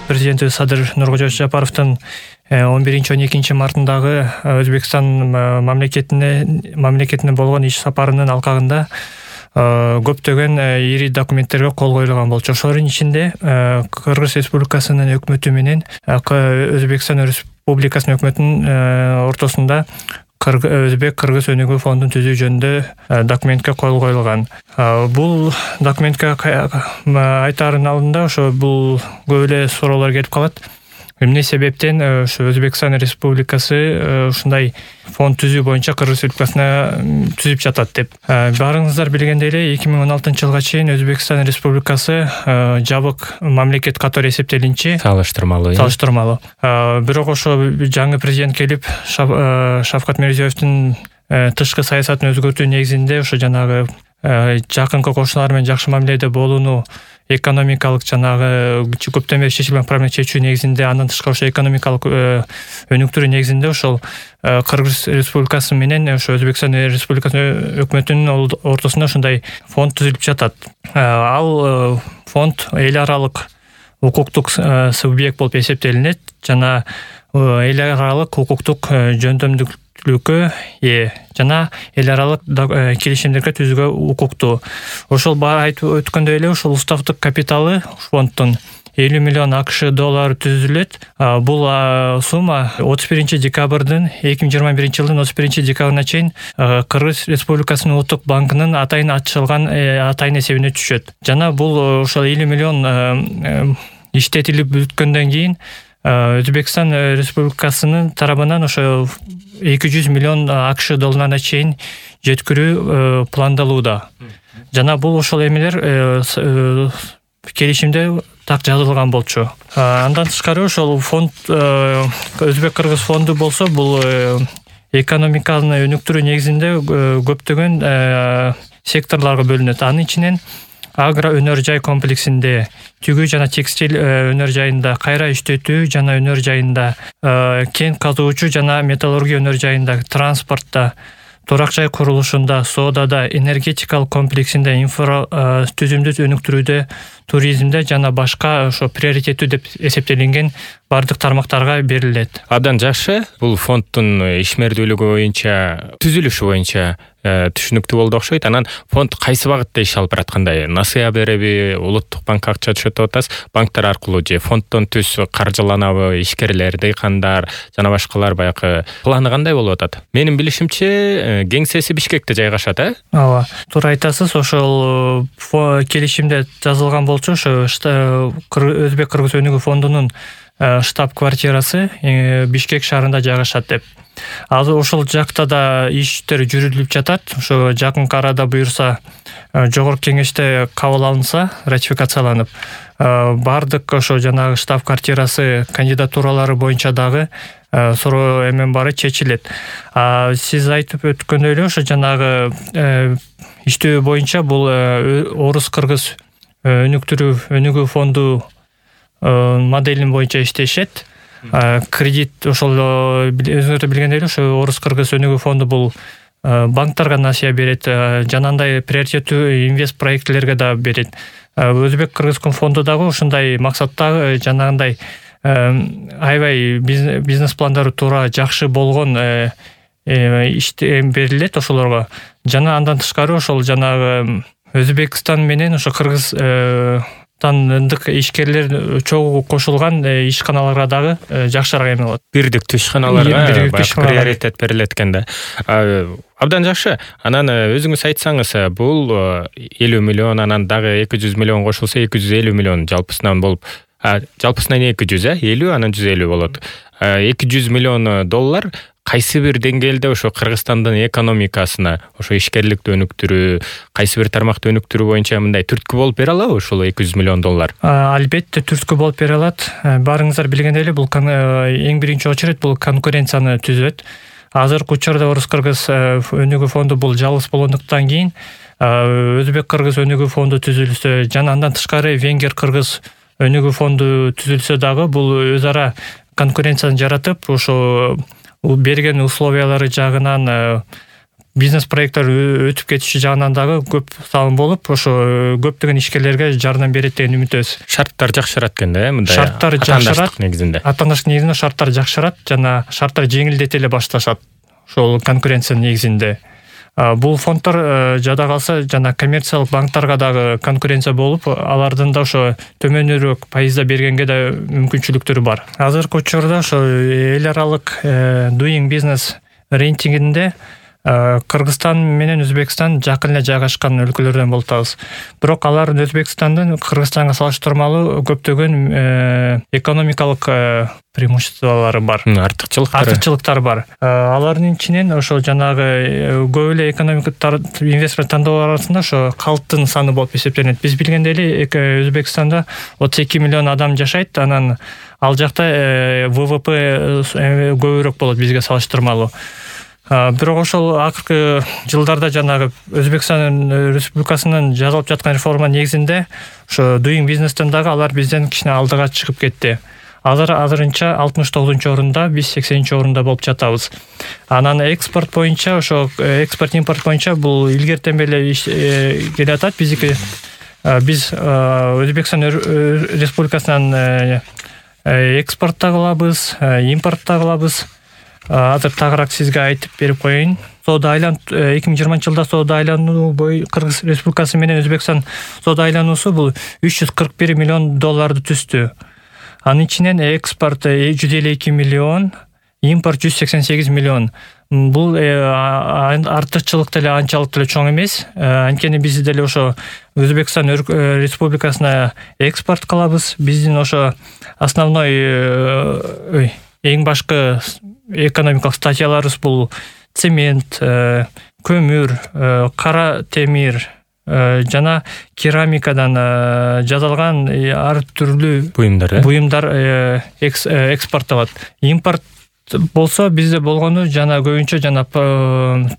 президенти Садыр Нуркожоевич Жапаровдун 11-12 мартындагы Өзбекстан мамлекетине болгон иш сапарынын алкагында көптөгөн ири документтерге кол коюлган болчу. Ошолордун ичинде Кыргыз Республикасынын өкмөтү менен Өзбекстан Республикасынын өкмөтүнүн ортосунда Өзбек-Кыргыз өнүгүү фондун түзүү жөнүндө документке кол коюлган. Бул документке айтаардын алдында ошо бул көп эле суроолор келип калат. Эмне себептен ошо Өзбекстан Республикасы ушундай фонд түзүү боюнча Кыргыз Республикасына түзүп жатат деп. Баарыңыздар билгендей эле 2016-жылга чейин Өзбекстан Республикасы жабык мамлекет катары эсептелинчи салыштырмалуу. Бирок ошо жаңы президент келип Шавкат Мирзиёевдин тышкы саясатын өзгөртүү негизинде ошо жанагы жакынкы кошуналар менен жакшы мамиледе болууну, экономикалык жанагы көптөн бери чечилген проблема чечүү негизинде, андан тышкары ошо экономикалык өнүктүрүү негизинде ошол Кыргыз Республикасы менен ошо Өзбекстан Республикасынын өкмөтүнүн ортосунда ушундай фонд түзүлүп жатат. Ал фонд эл аралык укуктук субъект болуп эсептелинет жана эл аралык укуктук жөндөмдүүлүккө жана эл аралык келишимдерге түзүүгө укуктуу. Ошол айтып өткөндөй эле ушул уставдык капиталы фонддун $50 миллион AQSh түзүлөт. Бул сумма 2021 жылдын 31 декабрына чейин Кыргыз Республикасынын Улуттук банкынын атайын ачылган атайын эсебине түшөт. Жана бул ошол 50 миллион иштетилип бүткөндөн кийин Өзбекстан Республикасынын тарабынан ошо 200 миллион AQSh чейин жеткирүү пландалууда. Жана бул ошол эмелер келишимде так жазылган болчу. Андан тышкары ошол фонд Өзбек-Кыргыз фонду болсо бул экономиканы өнүктүрүү негизинде көптөгөн секторлорго бөлүнөт. Анын ичинен агро өнөр жай комплексинде, түгүү жана текстиль өнөр жайында, кайра иштетүү жана өнөр жайында, кен казуучу жана металлургия өнөр жайында, транспортто, турак жай курулушунда, соодада, энергетикалык комплексинде, инфра түзүмдү өнүктүрүүдө, туризмде жана башка ошо приоритеттүү деп эсептелинген бардык тармактарга берилет. Абдан жакшы. Бул фонддун ишмердүүлүгү боюнча, түзүлүшү боюнча түшүнүктүү болду окшойт. Анан фонд кайсы багытта иш алып бараткандай? Насыя береби, улуттук банкка акча түшөт атасыз, банктар аркылуу же фонддон түз каржыланабы, ишкерлер, дейкандар жана башкалар баягы планы кандай болуп атат? Менин билишимче, кеңсеси Бишкекте жайгашат, Ооба, туура айтасыз. Ошол келишимде жазылган болчу, ошо Өзбек-Кыргыз өнүгүү фондунун штаб-квартирасы Бишкек шаарында жайгашат деп. Азыр ошол жакта да иштер жүрүлүп жатат. Ошо жакын арада буюрса, жогорку кеңеште кабыл алынса, ратификацияланып, бардык ошо жанагы штаб-квартирасы кандидатуралары боюнча дагы суроо эмен баары чечилет. Сиз айтып өткөндөй эле ошо жанагы иштөө боюнча бул Орус-Кыргыз өнүгүү фонду моделин боюнча иштешет. Кредит ошол өзүңөр билгендей эле ошо Орус-Кыргыз өнүгүү фонду бул банктарга насыя берет, жанагындай приоритеттүү инвест проектлерге да берет. Өзбек-Кыргыз фонду дагы ушундай максатта жанагындай аябай бизнес пландары туура жакшы болгон берилет ошолорго. Жана андан тышкары ошол жанагы Өзбекстан менен ошо Кыргыз ындык ишкерлер чогуу кошулган ишканаларга дагы жакшыраак эме болот. Бирдиктүү ишканаларга приоритет берилет экен да. Абдан жакшы. Анан өзүңүз айтсаңыз, бул 50 миллион, анан дагы 200 миллион кошулса 250 миллион жалпысынан болуп, жалпысынан 200, 50, анан 150 болот. 200 миллион доллар кайсы бир деңгээлде ошо Кыргызстандын экономикасына, ошо ишкерликти өнүктүрүү, кайсы бир тармакты өнүктүрүү боюнча мындай түрткү болуп бере алабы ошол 200 миллион доллар? Албетте түрткү болуп бере алат. Баарыңыздар билгендей эле, бул эң биринчи очередь бул конкуренцияны түзөт. Азыркы учурда Орус-Кыргыз өнүгүү фонду бул жалгыз болгондуктан кийин Өзбек-Кыргыз өнүгүү фонду түзүлсө, жана андан тышкары Венгер-Кыргыз өнүгүү фонду түзүлсө дагы бул өз ара конкуренцияны жаратып, ошо берген условиялары жагынан бизнес проекттер өтүп кетиши жагынан дагы көп салым болуп, ошо көптөгөн ишкерлерге жардам берет деген үмүтөбүз. Шарттар жакшырат экенде, мындай. Шарттар жакшырат негизинде. Атаандаштык негизинде шарттар жакшырат жана шарттар жеңилдете эле башташат. Ошол конкуренциянын негизинде. Бул фонддор жада калса жана коммерциялык банктарга дагы конкуренция болуп, алардын да ошо төмөнүрөөк пайызда бергенге да мүмкүнчүлүктөрү бар. Азыркы учурда ошо эл аралык Doing Business рейтингинде Кыргызстан менен Өзбекстан жакын эле жайгашкан өлкөлөрдөн болуп атабыз. Бирок алар Өзбекстандын Кыргызстанга салыштырмалуу көптөгөн экономикалык преимуществолору бар. Артыкчылыктары бар. Алардын ичинен ошо жанагы көп эле инвестор тандоо арасында ошо калктын саны болуп эсептелет. Биз билгендей эле Өзбекстанда 32 миллион адам жашайт, анан ал жакта ВВП көбүрөөк болот бизге салыштырмалуу. Бирок ошол акыркы жылдарда жанагы Өзбекстан Республикасынын жасалып жаткан реформа негизинде ошо Doing Business'тен дагы алар бизден кичине алдыга чыгып кетти. Азырынча 69-орунда, биз 80-орунда болуп жатабыз. Анан экспорт боюнча ошо экспорт-импорт боюнча бул илгертен беле келе атат. Биз Өзбекстан Республикасынан экспорт да кылабыз, импорт да кылабыз. Азыр тагыраак сизге айтып берип коеюн. Соода айлануу 2020-жылда соода айлануу Кыргыз Республикасы менен Өзбекстан соода айлануусу бул $341 миллион түздү. Анын ичинен экспорт 152 миллион, импорт 188 миллион. Бул артыкчылык деле анчалык деле чоң эмес. Анткени биз деле ошо Өзбекстан Республикасына экспорт кылабыз. Биздин ошо основной эң башкы экономикалык статьяларыбыз бул цемент, көмүр, кара темир жана керамикадан жасалган ар түрдүү буюмдар экспорттолот. Импорт болсо бизде болгону жана көбүнчө жана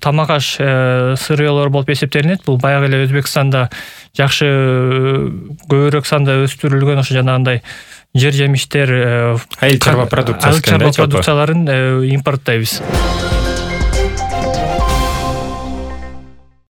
тамак аш сырыялар болуп эсептелинет. Бул баягы эле Өзбекстанда жакшы көбүрөөк санда өстүрүлгөн ошо жанагындай жер жемиштер, айыл чарба продукцияларын импорттойбуз.